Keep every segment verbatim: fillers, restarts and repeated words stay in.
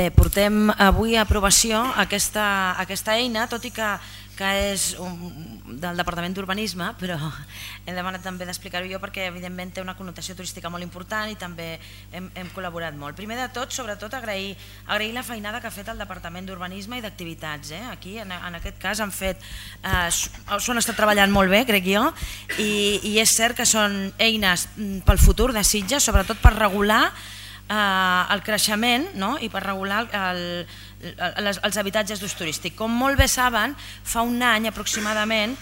Bé, portem avui a aprovació aquesta, aquesta eina, tot i que, que és un, del Departament d'Urbanisme, però he demanat també d'explicar-ho jo perquè evidentment té una connotació turística molt important i també hem, hem col·laborat molt. Primer de tot, sobretot, agrair, agrair la feinada que ha fet el Departament d'Urbanisme i d'Activitats. Eh? Aquí, en, en aquest cas, han fet, eh, s'ho han estat treballant molt bé, crec jo, i, i és cert que són eines pel futur de Sitges, sobretot per regular el creixement, no? I per regular el, els, els habitatges d'ús turístic. Com molt bé saben, fa un any aproximadament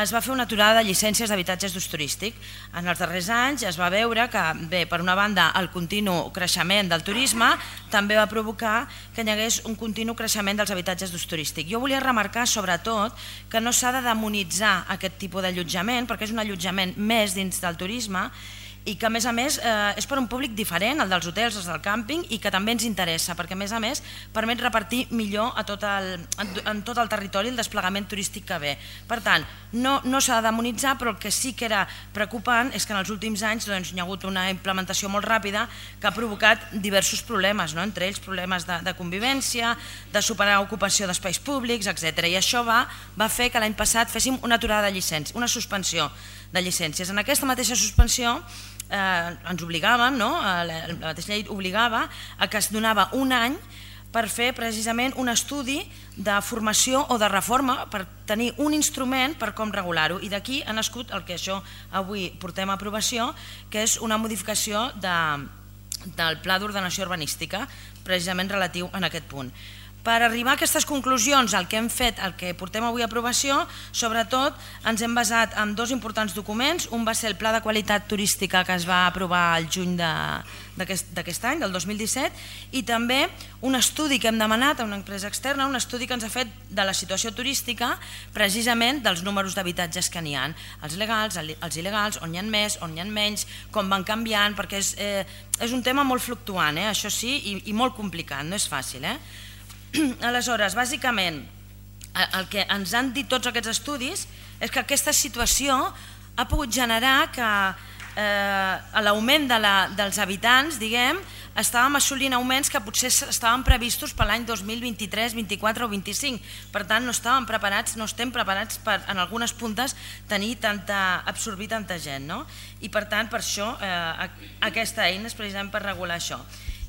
es va fer una aturada de llicències d'habitatges d'ús turístic. En els darrers anys es va veure que, bé, per una banda, el continu creixement del turisme també va provocar que hi hagués un continu creixement dels habitatges d'ús turístic. Jo volia remarcar, sobretot, que no s'ha de demonitzar aquest tipus d'allotjament, perquè és un allotjament més dins del turisme, i que a més a més eh, és per un públic diferent, el dels hotels, els del càmping, i que també ens interessa, perquè a més a més permet repartir millor a tot el, en tot el territori el desplegament turístic que ve. Per tant, no, no s'ha de demonitzar, però el que sí que era preocupant és que en els últims anys doncs, hi ha hagut una implementació molt ràpida que ha provocat diversos problemes, no? Entre ells problemes de, de convivència, de superar ocupació d'espais públics, etcètera. I això va, va fer que l'any passat féssim una aturada de llicències, una suspensió de llicències. En aquesta mateixa suspensió Eh, ens obligàvem, no? la, la mateixa llei obligava a que es donava un any per fer precisament un estudi de formació o de reforma per tenir un instrument per com regular-ho, i d'aquí ha nascut el que això avui portem a aprovació, que és una modificació de, del Pla d'Ordenació Urbanística precisament relatiu en aquest punt. Per arribar a aquestes conclusions, el que hem fet, el que portem avui a aprovació, sobretot ens hem basat en dos importants documents. Un va ser el Pla de Qualitat Turística que es va aprovar al juny d'aquest any, del dos mil disset, i també un estudi que hem demanat a una empresa externa, un estudi que ens ha fet de la situació turística, precisament dels números d'habitatges que n'hi ha, els legals, els il·legals, on n'hi ha més, on n'hi ha menys, com van canviant, perquè és, eh, és un tema molt fluctuant, eh, això sí, i, i molt complicat, no és fàcil, eh? Aleshores, bàsicament, el que ens han dit tots aquests estudis és que aquesta situació ha pogut generar que eh, l'augment de la, dels habitants, diguem, estàvem assolint augments que potser estaven previstos per l'any dos mil vint-i-tres, vint-i-quatre o vint-i-cinc. Per tant, no estàvem preparats, no estem preparats per, en algunes puntes, tenir tanta, absorbir tanta gent, no? I per tant, per això, eh, aquesta eina és precisament per regular això.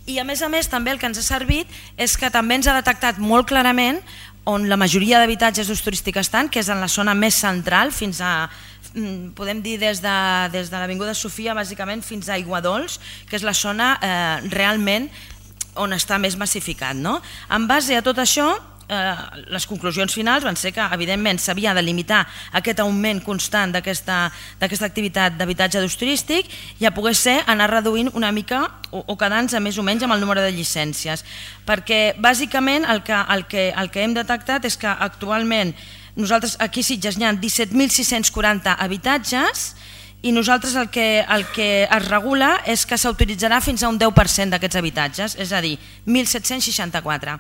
I a més a més també el que ens ha servit és que també ens ha detectat molt clarament on la majoria d'habitatges d'ús turístic estan, que és en la zona més central, fins a, podem dir des de, des de l'Avinguda Sofia bàsicament fins a Aiguadols, que és la zona eh, realment on està més massificat, no? En base a tot això, Eh, les conclusions finals van ser que evidentment s'havia de limitar aquest augment constant d'aquesta activitat d'habitatge d'ús turístic i a poder ser anar reduint una mica o, o quedant-nos més o menys amb el número de llicències, perquè bàsicament el que, el que, el que hem detectat és que actualment nosaltres aquí a Sitges n'hi ha disset mil sis-cents quaranta habitatges i nosaltres el que, el que es regula és que s'autoritzarà fins a un deu per cent d'aquests habitatges, és a dir, mil set-cents seixanta-quatre.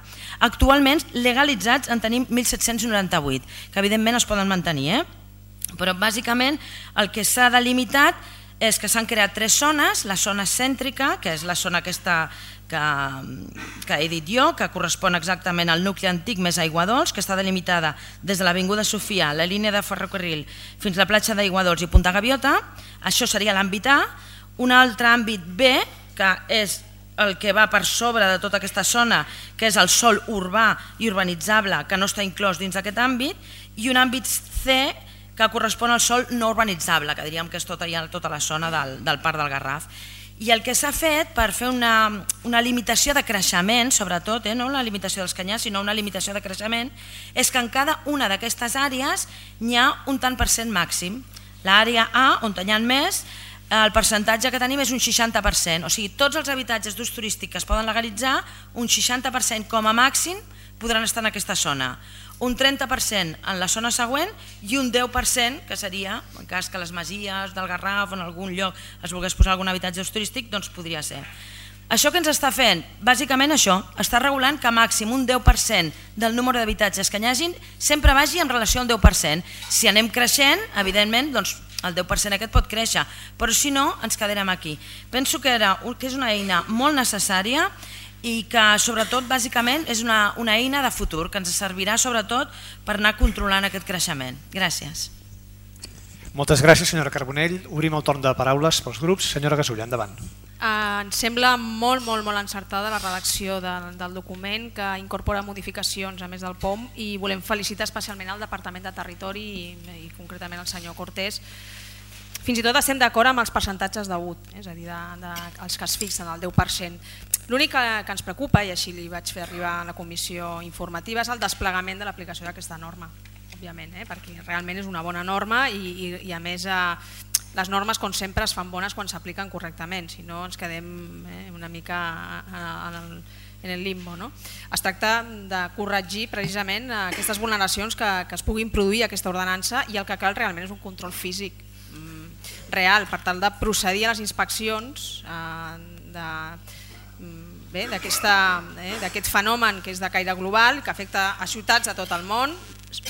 Actualment legalitzats en tenim mil set-cents noranta-vuit, que evidentment es poden mantenir, eh? Però bàsicament el que s'ha delimitat és que s'han creat tres zones, la zona cèntrica, que és la zona aquesta que, que he dit jo, que correspon exactament al nucli antic més Aiguadols, que està delimitada des de l'Avinguda Sofia, la línia de ferrocarril, fins a la platja d'Aiguadols i Punta Gaviota. Això seria l'àmbit A. Un altre àmbit B, que és el que va per sobre de tota aquesta zona, que és el sòl urbà i urbanitzable, que no està inclòs dins d'aquest àmbit, i un àmbit C, que correspon al sòl no urbanitzable, que diríem que és tota, tota la zona del, del Parc del Garraf. I el que s'ha fet per fer una, una limitació de creixement, sobretot, eh, no la limitació dels canyars, sinó una limitació de creixement, és que en cada una d'aquestes àrees n'hi ha un tant per cent màxim. L'àrea A, on n'hi ha més, el percentatge que tenim és un seixanta per cent, o sigui, tots els habitatges d'ús turístic que es poden legalitzar, un seixanta per cent com a màxim podran estar en aquesta zona. Un trenta per cent en la zona següent i un deu per cent, que seria, en cas que les masies del Garraf o en algun lloc es volgués posar algun habitatge turístic, doncs podria ser. Això que ens està fent? Bàsicament això, està regulant que màxim un deu per cent del número d'habitatges que n'hi hagin sempre vagi en relació al deu per cent. Si anem creixent, evidentment, doncs el deu per cent aquest pot créixer, però si no, ens quedarem aquí. Penso que, era, que és una eina molt necessària i que sobretot bàsicament és una, una eina de futur que ens servirà sobretot per anar controlant aquest creixement. Gràcies. Moltes gràcies, senyora Carbonell. Obrim el torn de paraules pels grups. Senyora Gasulla, endavant. Uh, ens sembla molt, molt, molt encertada la redacció de, del document, que incorpora modificacions a més del P O M, i volem felicitar especialment el Departament de Territori i, i concretament el senyor Cortés. Fins i tot estem d'acord amb els percentatges de vot, és a dir, de, de, els que es fixen, el deu per cent. L'únic que, que ens preocupa, i així li vaig fer arribar a la comissió informativa, és el desplegament de l'aplicació d'aquesta norma, òbviament, eh? Perquè realment és una bona norma i, i, i a més eh, les normes, com sempre, es fan bones quan s'apliquen correctament, si no ens quedem eh, una mica en el, en el limbo. No? Es tracta de corregir precisament aquestes vulneracions que, que es puguin produir a aquesta ordenança, i el que cal realment és un control físic mm, real per tal de procedir a les inspeccions eh, de Bé, d'aquest eh, fenomen que és de caire global, que afecta a ciutats de tot el món.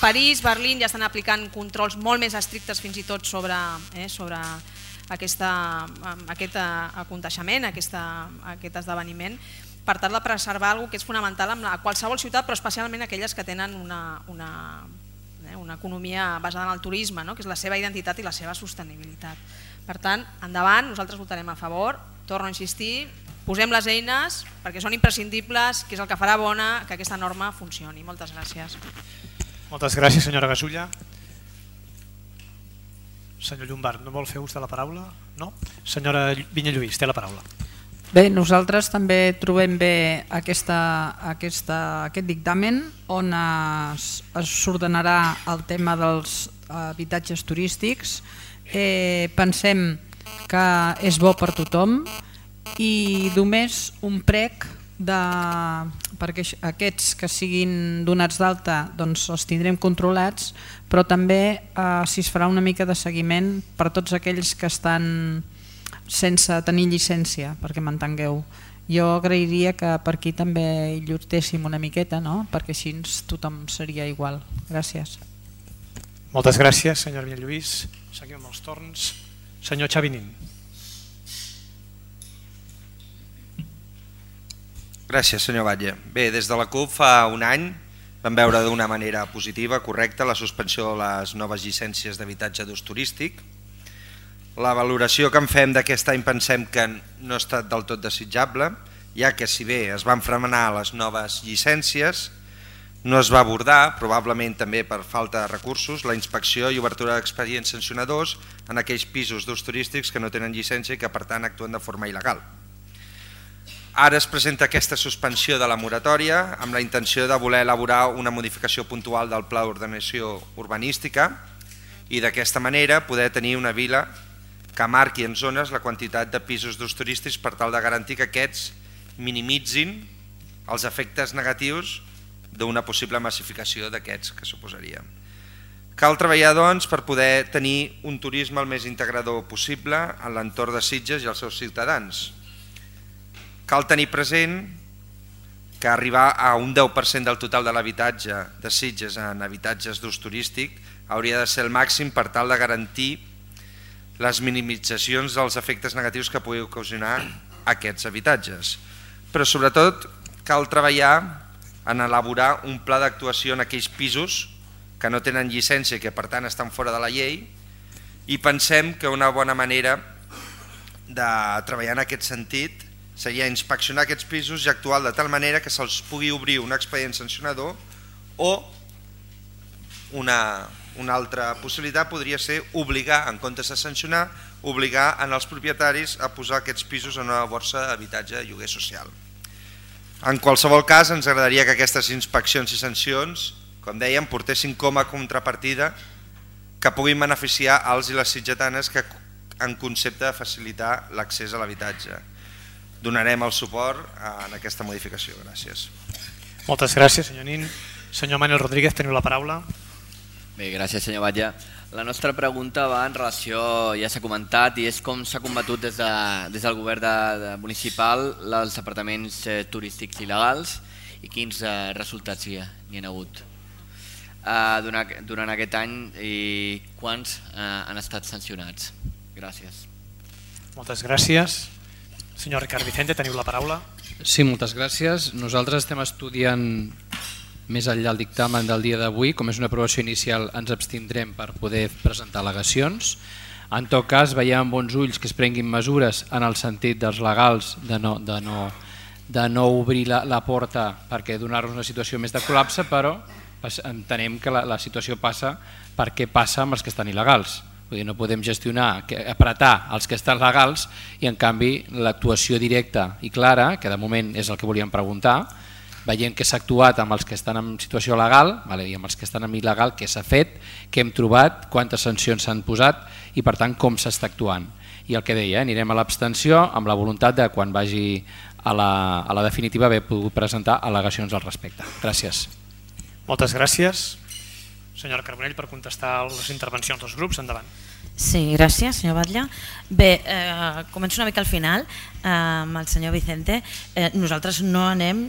París, Berlín ja estan aplicant controls molt més estrictes fins i tot sobre, eh, sobre aquesta, aquest aconteixement, aquesta, aquest esdeveniment, per tal de preservar alguna cosa que és fonamental en qualsevol ciutat, però especialment aquelles que tenen una, una, eh, una economia basada en el turisme, no? Que és la seva identitat i la seva sostenibilitat. Per tant, endavant, nosaltres votarem a favor, torno a insistir, posem les eines perquè són imprescindibles, que és el que farà bona que aquesta norma funcioni. Moltes gràcies. Moltes gràcies, senyora Gasulla. Senyor Llombart, no vol fer ús de la paraula? No? Senyora Vinyalluís, té la paraula. Bé, nosaltres també trobem bé aquesta, aquesta, aquest dictamen on s'ordenarà el tema dels habitatges turístics. Eh, pensem que és bo per tothom, i només un prec de, perquè aquests que siguin donats d'alta doncs els tindrem controlats, però també eh, si es farà una mica de seguiment per tots aquells que estan sense tenir llicència, perquè m'entengueu. Jo agrairia que per aquí també hi llutéssim una miqueta, no? Perquè així tothom seria igual. Gràcies. Moltes gràcies, senyor Vinyalluís. Seguim amb els torns. Senyor Xavinín. Gràcies, senyor Batlle. Bé, des de la CUP fa un any vam veure d'una manera positiva, correcta, la suspensió de les noves llicències d'habitatge d'ús turístic. La valoració que en fem d'aquest any pensem que no ha estat del tot desitjable, ja que si bé es van frenar les noves llicències, no es va abordar, probablement també per falta de recursos, la inspecció i obertura d'expedients sancionadors en aquells pisos d'ús turístics que no tenen llicència i que per tant actuen de forma il·legal. Ara es presenta aquesta suspensió de la moratòria amb la intenció de voler elaborar una modificació puntual del pla d'ordenació urbanística i d'aquesta manera poder tenir una vila que marqui en zones la quantitat de pisos d'ús turístics per tal de garantir que aquests minimitzin els efectes negatius d'una possible massificació d'aquests que suposaria. Cal treballar doncs per poder tenir un turisme el més integrador possible en l'entorn de Sitges i els seus ciutadans. Cal tenir present que arribar a un deu per cent del total de l'habitatge de Sitges en habitatges d'ús turístic hauria de ser el màxim per tal de garantir les minimitzacions dels efectes negatius que pugui ocasionar aquests habitatges. Però sobretot cal treballar en elaborar un pla d'actuació en aquells pisos que no tenen llicència i que per tant estan fora de la llei, i pensem que una bona manera de treballar en aquest sentit seria inspeccionar aquests pisos i actuar de tal manera que se'ls pugui obrir un expedient sancionador, o una, una altra possibilitat podria ser obligar, en comptes de sancionar, obligar en els propietaris a posar aquests pisos en una borsa d'habitatge de lloguer social. En qualsevol cas, ens agradaria que aquestes inspeccions i sancions, com dèiem, portessin com a contrapartida que puguin beneficiar els i les sitgetanes que en concepte de facilitar l'accés a l'habitatge. Donarem el suport en aquesta modificació. Gràcies. Moltes gràcies, senyor Nin. Senyor Manuel Rodríguez, teniu la paraula. Bé, gràcies, senyor Batlle. La nostra pregunta va en relació, ja s'ha comentat, i és com s'ha combatut des, de, des del govern de, de municipal els apartaments eh, turístics il·legals i quins eh, resultats hi, hi ha hagut. Eh, durant, durant aquest any, i quants eh, han estat sancionats? Gràcies. Moltes gràcies. Senyor Ricard Vicente, teniu la paraula. Sí, moltes gràcies. Nosaltres estem estudiant més enllà del dictamen del dia d'avui. Com és una aprovació inicial ens abstindrem per poder presentar al·legacions. En tot cas, veiem amb bons ulls que es prenguin mesures en el sentit dels legals de no, de no, de no obrir la, la porta perquè donar-nos una situació més de col·lapse, però entenem que la, la situació passa perquè passa amb els que estan il·legals. Vull dir, no podem gestionar, apretar els que estan legals i en canvi l'actuació directa i clara, que de moment és el que volíem preguntar, veient que s'ha actuat amb els que estan en situació legal i amb els que estan en il·legal, què s'ha fet, què hem trobat, quantes sancions s'han posat i per tant com s'està actuant. I el que deia, anirem a l'abstenció amb la voluntat de quan vagi a la, a la definitiva haver pogut presentar al·legacions al respecte. Gràcies. Moltes gràcies. Senyora Carbonell, per contestar les intervencions dels grups, endavant. Sí, gràcies, senyor Batlle. Bé, eh, començo una mica al final eh, amb el senyor Vicente. Eh, nosaltres no anem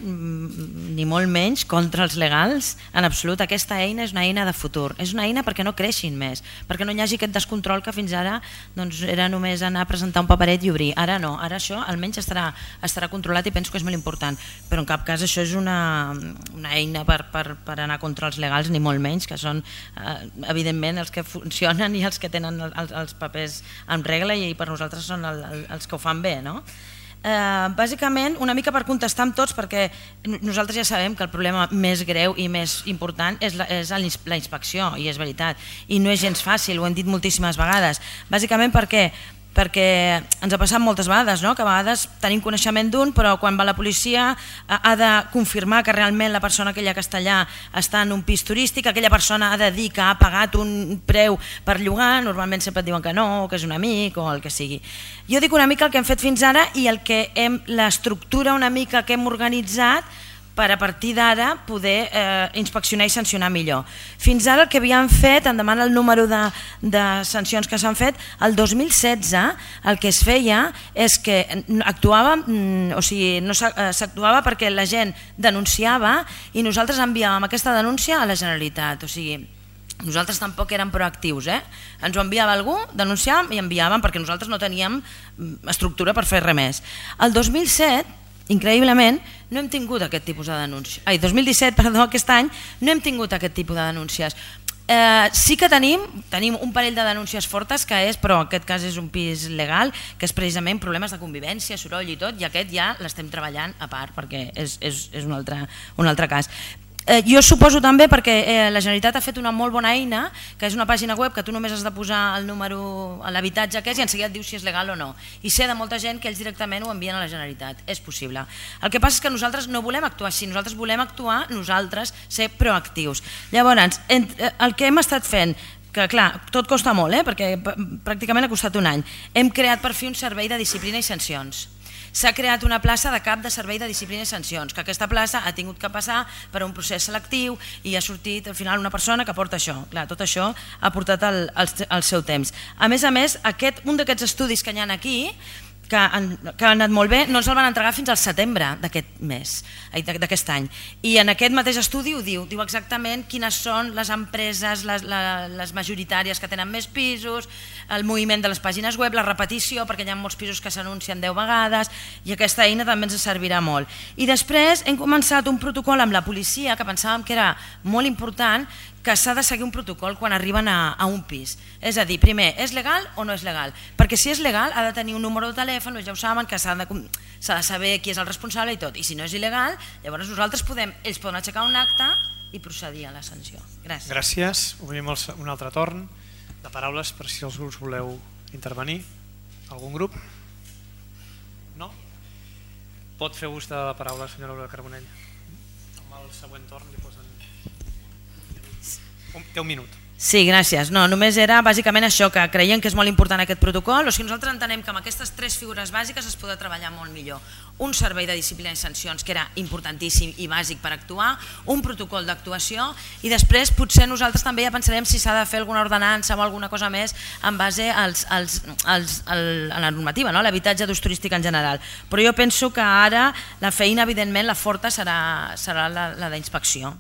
ni molt menys contra els legals en absolut. Aquesta eina és una eina de futur, és una eina perquè no creixin més, perquè no hi hagi aquest descontrol que fins ara doncs, era només anar a presentar un paperet i obrir. Ara no, ara això almenys estarà, estarà controlat i penso que és molt important, però en cap cas això és una, una eina per, per, per anar contra els legals, ni molt menys, que són eh, evidentment els que funcionen i els que tenen el, els, els papers en regla i per nosaltres són el, el, els que ho fan bé, no? Eh, bàsicament, una mica per contestar amb tots, perquè nosaltres ja sabem que el problema més greu i més important és la, és la inspecció, i és veritat, i no és gens fàcil, ho hem dit moltíssimes vegades. Bàsicament perquè perquè ens ha passat moltes vegades, no? Que a vegades tenim coneixement d'un, però quan va la policia ha de confirmar que realment la persona aquella que està allà està en un pis turístic, aquella persona ha de dir que ha pagat un preu per llogar, normalment sempre et diuen que no, que és un amic o el que sigui. Jo dic una mica el que hem fet fins ara i el que hem, l'estructura una mica que hem organitzat per a partir d'ara poder eh, inspeccionar i sancionar millor. Fins ara el que havíem fet, em demana el número de, de sancions que s'han fet, el dos mil setze el que es feia és que actuava, o sigui, no s'actuava perquè la gent denunciava i nosaltres enviàvem aquesta denúncia a la Generalitat, o sigui, nosaltres tampoc érem proactius, eh? Ens ho enviava algú, denunciàvem i enviàvem perquè nosaltres no teníem estructura per fer res més. El dos mil set, increïblement, no hem tingut aquest tipus de denúncies. Ai, dos mil disset, perdó, aquest any, no hem tingut aquest tipus de denúncies. Eh, sí que tenim, tenim un parell de denúncies fortes, que és, però en aquest cas és un pis legal, que és precisament problemes de convivència, soroll i tot, i aquest ja l'estem treballant a part, perquè és, és, és un, altre, un altre cas. Eh, jo suposo també perquè eh, la Generalitat ha fet una molt bona eina, que és una pàgina web que tu només has de posar el número a l'habitatge que és i enseguida et diu si és legal o no. I sé de molta gent que ells directament ho envien a la Generalitat. És possible. El que passa és que nosaltres no volem actuar així, nosaltres volem actuar, nosaltres, ser proactius. Llavors, el que hem estat fent, que clar, tot costa molt, eh, perquè pràcticament ha costat un any, hem creat per fi un servei de disciplina i sancions. S'ha creat una plaça de cap de servei de disciplina i sancions, que aquesta plaça ha tingut que passar per un procés selectiu i ha sortit al final una persona que porta això. Clar, tot això ha portat el, el, el seu temps. A més a més, aquest, un d'aquests estudis que hi ha aquí, que han, que han anat molt bé, no ens el van entregar fins al setembre d'aquest mes, d'aquest any. I en aquest mateix estudi ho diu, diu exactament quines són les empreses, les, les majoritàries que tenen més pisos, el moviment de les pàgines web, la repetició, perquè hi ha molts pisos que s'anuncien deu vegades, i aquesta eina també ens servirà molt. I després hem començat un protocol amb la policia, que pensàvem que era molt important, que s'ha de seguir un protocol quan arriben a, a un pis. És a dir, primer, és legal o no és legal? Perquè si és legal ha de tenir un número de telèfon, ja ho saben, que s'ha de, s'ha de saber qui és el responsable i tot. I si no és il·legal, llavors nosaltres podem, ells poden aixecar un acte i procedir a la sanció. Gràcies. Gràcies. Obrim un altre torn de paraules per si els grups voleu intervenir. Algun grup? No? Pot fer ús de la paraula, senyora Aurora Carbonell. Amb el següent torn li posen... Té un minut. Sí, gràcies. No, només era bàsicament això, que creiem que és molt important aquest protocol, o sigui, nosaltres entenem que amb aquestes tres figures bàsiques es podrà treballar molt millor. Un servei de disciplina i sancions, que era importantíssim i bàsic per actuar, un protocol d'actuació, i després potser nosaltres també ja pensarem si s'ha de fer alguna ordenança o alguna cosa més en base als, als, als, a la normativa, no? L'habitatge d'ús turístic en general. Però jo penso que ara la feina, evidentment, la forta serà, serà la, la d'inspecció.